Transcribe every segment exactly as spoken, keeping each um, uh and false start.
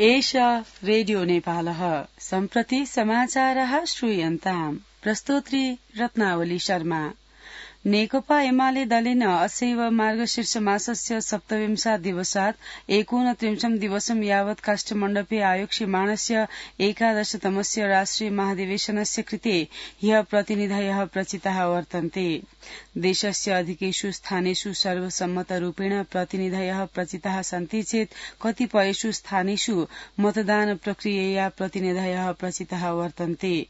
एष रेडियो नेपालः सम्प्रति समाचारः श्रूयन्ताम् प्रस्तोत्री रत्नावली शर्मा। नेकपा एमाले दलेन असैव मार्गशीर्ष मासस्य सप्तविंशात् दिवसात् एकोनत्रिंशम् दिवसं यावत् काष्ठमण्डपे आयोक्ष्यमाणस्य एकादशतमस्य राष्ट्रिय महाधिवेशनस्य कृते ह्यः प्रतिनिधयः प्रचिताः वर्तन्ते। देशस्य अधिकेषु स्थानेषु सर्वसम्मतरूपेण प्रतिनिधयः प्रचिताः सन्ति चेत् कतिपयेषु स्थानेषु मतदान प्रक्रियया प्रतिनिधयः प्रचिताः वर्तन्ते।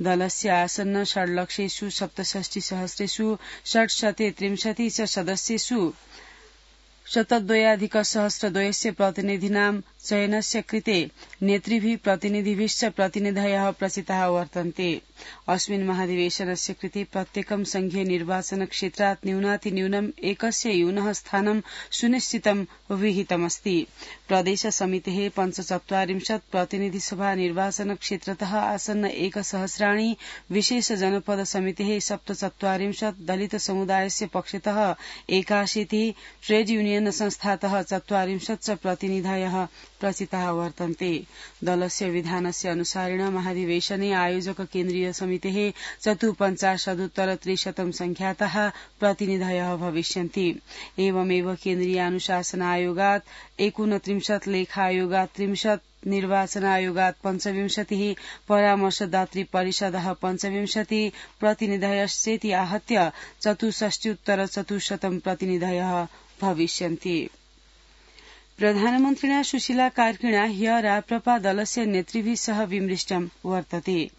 दलस्य आसन्न षड्लक्षेषु सप्तषष्टि सहस्रेषु षट्शते त्रिंशति च सदस्येषु शतद्वयाधिक सहस्रद्वयस्य प्रतिनिधीनां चयनस्य कृते नेतृभिः प्रतिनिधिभिश्च प्रतिनिधयः प्रचिताः वर्तन्ते। अस्मिन् महाधिवेशनस्य कृते प्रत्येकं संघीय निर्वाचन क्षेत्रात् न्यूनातिन्यूनम् एकस्य यूनः स्थानं सुनिश्चितं विहितमस्ति। प्रदेश समितेः पञ्चचत्वारिंशत् प्रतिनिधिसभा निर्वाचन क्षेत्रतः आसन्न एकसहस्राणि, विशेष जनपद समितेः सप्तचत्वारिंशत्, दलित समुदायस्य पक्षतः एकाशीतिः, ट्रेड यूनियन संस्थातः चत्वारिंशत् च प्रतिनिधयः प्रचिताः वर्तन्ते। दलस्य विधानस्य अनुसारेण महाधिवेशने आयोजक केन्द्रीय समितेः चतुःपञ्चाशदुत्तर त्रिशतं संख्यातः प्रतिनिधयः भविष्यन्ति। एवमेव केन्द्रीयानुशासन आयोगात् एकोनत्रिंशत्, लेखायोगात् त्रिंशत्, निर्वाचन आयोगात् पञ्चविंशतिः, परामर्शदात्री परिषदः पञ्चविंशतिः प्रतिनिधयश्चेति आहत्य चतुष्षष्ट्युत्तर चतुश्शतं प्रतिनिधयः भविष्यन्ति। प्रधानमन्त्रिणा सुशीला कार्किणा ह्यः राप्रपा दलस्य नेतृभिः सह विमृष्टं वर्तते।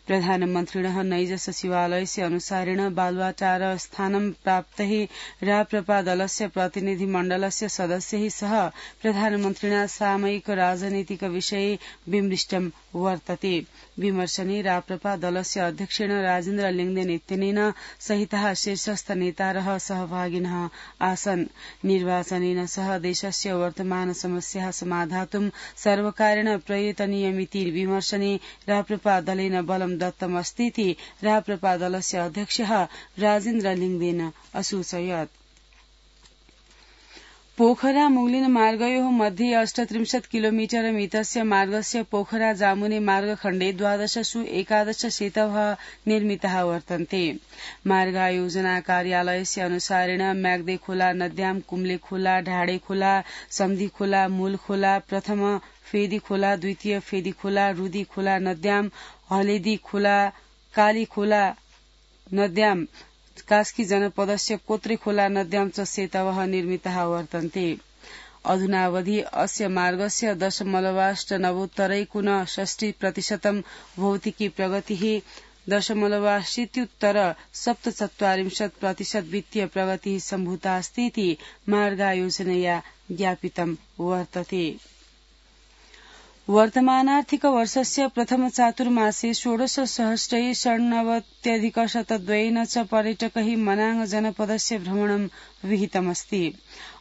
प्रधानमन्त्रिणः नैज सचिवालयस्य अनुसारेण बालुवाटार स्थानं प्राप्तैः राप्रपा दलस्य प्रतिनिधिमण्डलस्य सदस्यैः सह प्रधानमन्त्रिणा सामयिक राजनीतिक विषये विमृष्टं वर्तते। विमर्शने राप्रपा दलस्य अध्यक्षेण राजेन्द्र लिङदेन इत्यनेन सहितः शीर्षस्थ नेतारः सहभागिनः आसन्। निर्वाचनेन सह देशस्य वर्तमान समस्याः समाधातुं सर्वकारेण प्रयतनीयमिति विमर्शने राप्रपा दलेन बलं दत्तमस्तीति राप्रपा दलस्य अध्यक्षः राजेन्द्र लिङदेन असूचयत्। पोखरा मुगलिन मार्गयोः मध्ये अष्टत्रिंशत् किलोमीटर मितस्य मार्गस्य पोखरा जामुने मार्गखण्डे द्वादशसु एकादश सेतवः निर्मिताः वर्तन्ते। मार्गायोजना कार्यालयस्य अनुसारेण म्याग्दे खोला नद्यां कुम्ले खोला, ढाडे खोला, सम्धी खोला, मूल खोला, प्रथम फेदी खोला, द्वितीय फेदी खोला, रुदी खोला नद्यां, हलेदी खोला, काली खोला नद्यां, कास्की जनपदस्य कोत्रे खोला नद्यां च सेतवः निर्मिताः वर्तन्ते। अधुनावधि अस्य मार्गस्य दशमलवाष्ट नवोत्तरैकोन षष्टि प्रतिशतं भौतिकी प्रगतिः, दशमलवाशीत्युत्तर सप्तचत्वारिंशत् प्रतिशत वित्तीय प्रगतिः सम्भूतास्तीति मार्गायोजनया ज्ञापितं वर्तते। वर्तमानार्थिक वर्षस्य प्रथम चातुर्मासे षोडश सहस्रै षण्णवत्यधिकशतद्वयेन च पर्यटकैः मनाङ जनपदस्य भ्रमणं विहितमस्ति।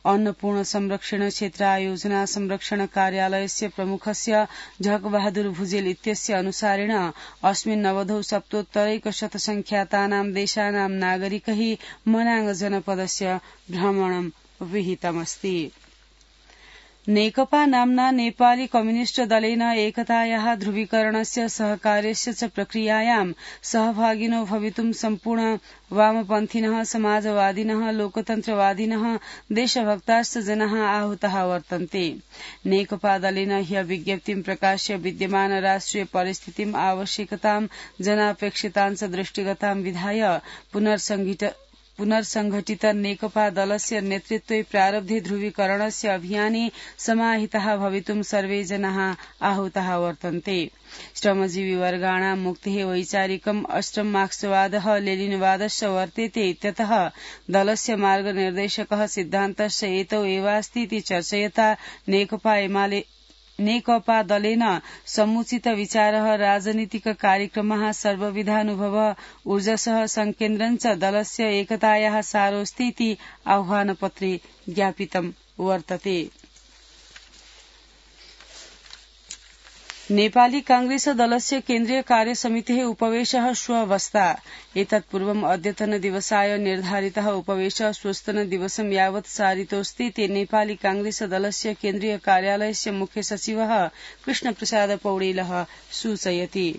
अन्नपूर्ण संरक्षण क्षेत्र आयोजना संरक्षण कार्यालयस्य प्रमुखस्य झकबहादुर भुजेल इत्यस्य अनुसारेण अस्मिन् नवधौ सप्तोत्तरैकशतसंख्यातानां देशानां नागरिकैः मनाङ जनपदस्य भ्रमणं विहितमस्ति। नेकपा नाम्ना नेपाली कम्युनिष्ट दलेन एकतायाः ध्रुवीकरणस्य सहकार्यस्य च प्रक्रियायां सहभागिनो भवितुं सम्पूर्ण वामपन्थिनः, समाजवादिनः, लोकतन्त्रवादिनः, देशभक्ताश्च जनाः आहूताः वर्तन्ते। नेकपा दलेन ह्यः विज्ञप्तिं प्रकाश्य विद्यमान राष्ट्रिय परिस्थितिम्, आवश्यकतां, जनापेक्षितां च दृष्टिगतां विधाय पुनर्संघटित पुनर्संघटित नेकपा दलस्य नेतृत्वे प्रारब्धे ध्रुवीकरणस्य अभियाने समाहिताः भवितुं सर्वे जनाः आहूताः वर्तन्ते। श्रमजीवी वर्गाणां मुक्तिः वैचारिकम् अष्टम मार्क्सवादः लेनिनवादश्च वर्तेते इत्यतः दलस्य मार्गनिर्देशकः सिद्धान्तश्च एतौ एवास्तीति चर्चयता नेकपा एमाले नेकपा दलेन समुचित विचारः, राजनीतिक कार्यक्रमः, सर्वविधानुभवः, ऊर्जसः संकेन्द्रं च दलस्य एकतायाः सारोऽस्तीति आह्वानपत्रे ज्ञापितं वर्तते। नेपाली कांग्रेस दलस्य केन्द्रीय कार्यसमितेः उपवेशः श्वः वस्ता एतत्पूर्वम् अद्यतन दिवसाय निर्धारितः उपवेशः स्वस्तन दिवसं यावत् सारितोऽस्ति ते नेपाली कांग्रेस दलस्य केन्द्रीय कार्यालयस्य मुख्य सचिवः कृष्णप्रसाद पौडेलः सूचयति।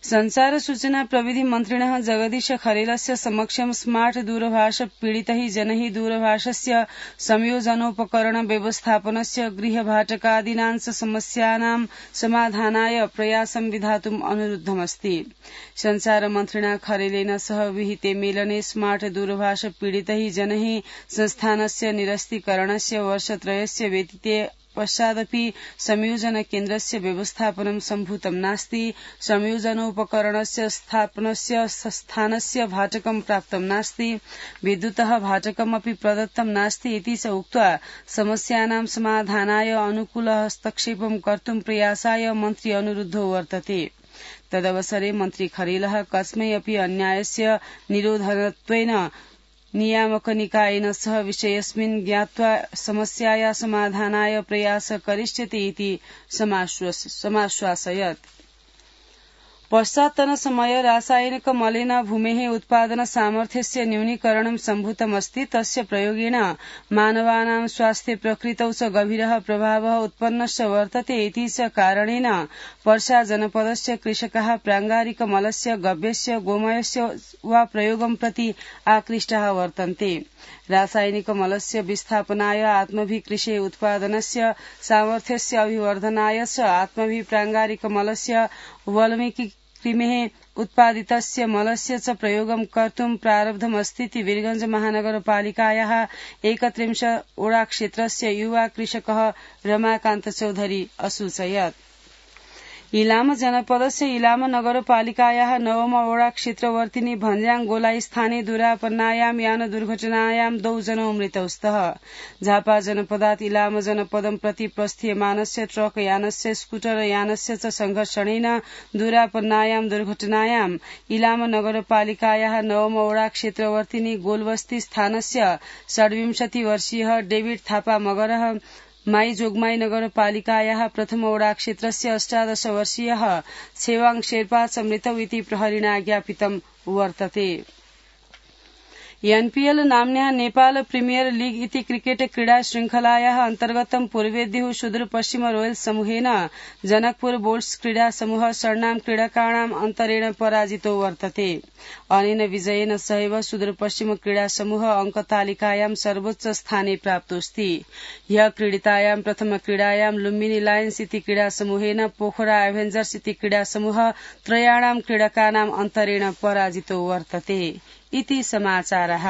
संचार सूचना प्रविधि मन्त्रिणः जगदीश खरेलस्य समक्षं स्मार्ट दूरभाष पीडितैः जनैः दूरभाषस्य संयोजनोपकरण व्यवस्थापनस्य गृहभाटकादीनां समस्यानां समाधानाय प्रयासं विधातुम् अनुरुद्धमस्ति। संचार मन्त्रिणा खरेलेन सह विहिते मेलने स्मार्ट दूरभाष पीडितैः जनैः संस्थानस्य निरस्तीकरणस्य वर्षत्रयस्य व्यतीते पश्चादपि संयोजन केन्द्रस्य व्यवस्थापनं सम्भूतं नास्ति। संयोजनोपकरणस्य स्थापनस्य स्थानस्य भाटकं प्राप्तं नास्ति। विद्युतः भाटकमपि प्रदत्तं नास्ति इति च उक्त्वा समस्यानां समाधानाय अनुकूल हस्तक्षेपं कर्तुं प्रयासाय मन्त्री अनुरुद्धो वर्तते। तदवसरे मन्त्री खरेलः कस्मै अपि अन्यायस्य निरोधनत्वेन नियामक निकायेन सह विषयस्मिन् ज्ञात्वा समस्याया समाधानाय प्रयास करिष्यति इति समाश्वासयत्। पश्चात्तन समय रासायनिक मलेन भूमेः उत्पादन सामर्थ्यस्य न्यूनीकरणं सम्भूतमस्ति। तस्य प्रयोगेण मानवानां स्वास्थ्ये प्रकृतौ च गभीरः प्रभावः उत्पन्नश्च वर्तते इति च कारणेन पर्सा जनपदस्य कृषकाः प्राङ्गारिक मलस्य गव्यस्य गोमयस्य वा प्रयोगं प्रति आकृष्टाः वर्तन्ते। रासायनिक मलस्य विस्थापनाय आत्मभि कृषे उत्पादनस्य सामर्थ्यस्य अभिवर्धनाय च आत्मभि प्राङ्गारिक मलस्य वाल्मीकि कृमेः उत्पादितस्य मलस्य च प्रयोगं कर्तुं प्रारब्धमस्तीति वीरगंज महानगरपालिकायाः एकत्रिंशत् ओडा क्षेत्रस्य युवा कृषकः रमाकान्त चौधरी असूचयत्। इलाम जनपदस्य इलाम नगरपालिकायाः नवम ओडा क्षेत्रवर्तिनी भन्ज्याङ गोलाई स्थाने दुरापन्नायां यान दुर्घटनायां द्वौ जनौ मृतौ स्तः। झापा जनपदात् इलाम जनपदं प्रति प्रस्थीयमानस्य ट्रक यानस्य स्कूटर यानस्य च संघर्षणेन दुरापन्नायां दुर्घटनायां इलाम नगरपालिकायाः नवम ओडा क्षेत्रवर्तिनी गोलबस्ती स्थानस्य षड्विंशति वर्षीयः डेभिड थापा मगरः माई जोगमाई नगरपालिकायाः प्रथम ओडा क्षेत्रस्य अष्टादश वर्षीयः छेवाङ शेर्पा च मृतौ इति प्रहरिणा ज्ञापितं वर्तते। एनपीएल नाम्न्याः नेपाल प्रिमियर लीग इति क्रिकेट क्रीडा श्रृंखलायाः अन्तर्गतं पूर्वेद्युः सुदूरपश्चिम रोयल्स समूहेन जनकपुर बोल्ट्स क्रीडा समूह षण्णां क्रीडकाणाम् अन्तरेण पराजितो वर्तते। अनेन विजयेन सहैव सुदूरपश्चिम क्रीडा समूह अंकतालिकायां सर्वोच्च स्थाने प्राप्तोऽस्ति। ह्यः क्रीडितायां प्रथम क्रीडायां लुम्बिनी लायन्स इति क्रीडा समूहेन पोखरा एभेन्जर्स इति क्रीडा समूह त्रयाणां क्रीडकानाम् अन्तरेण पराजितो वर्तते। इति समाचारः।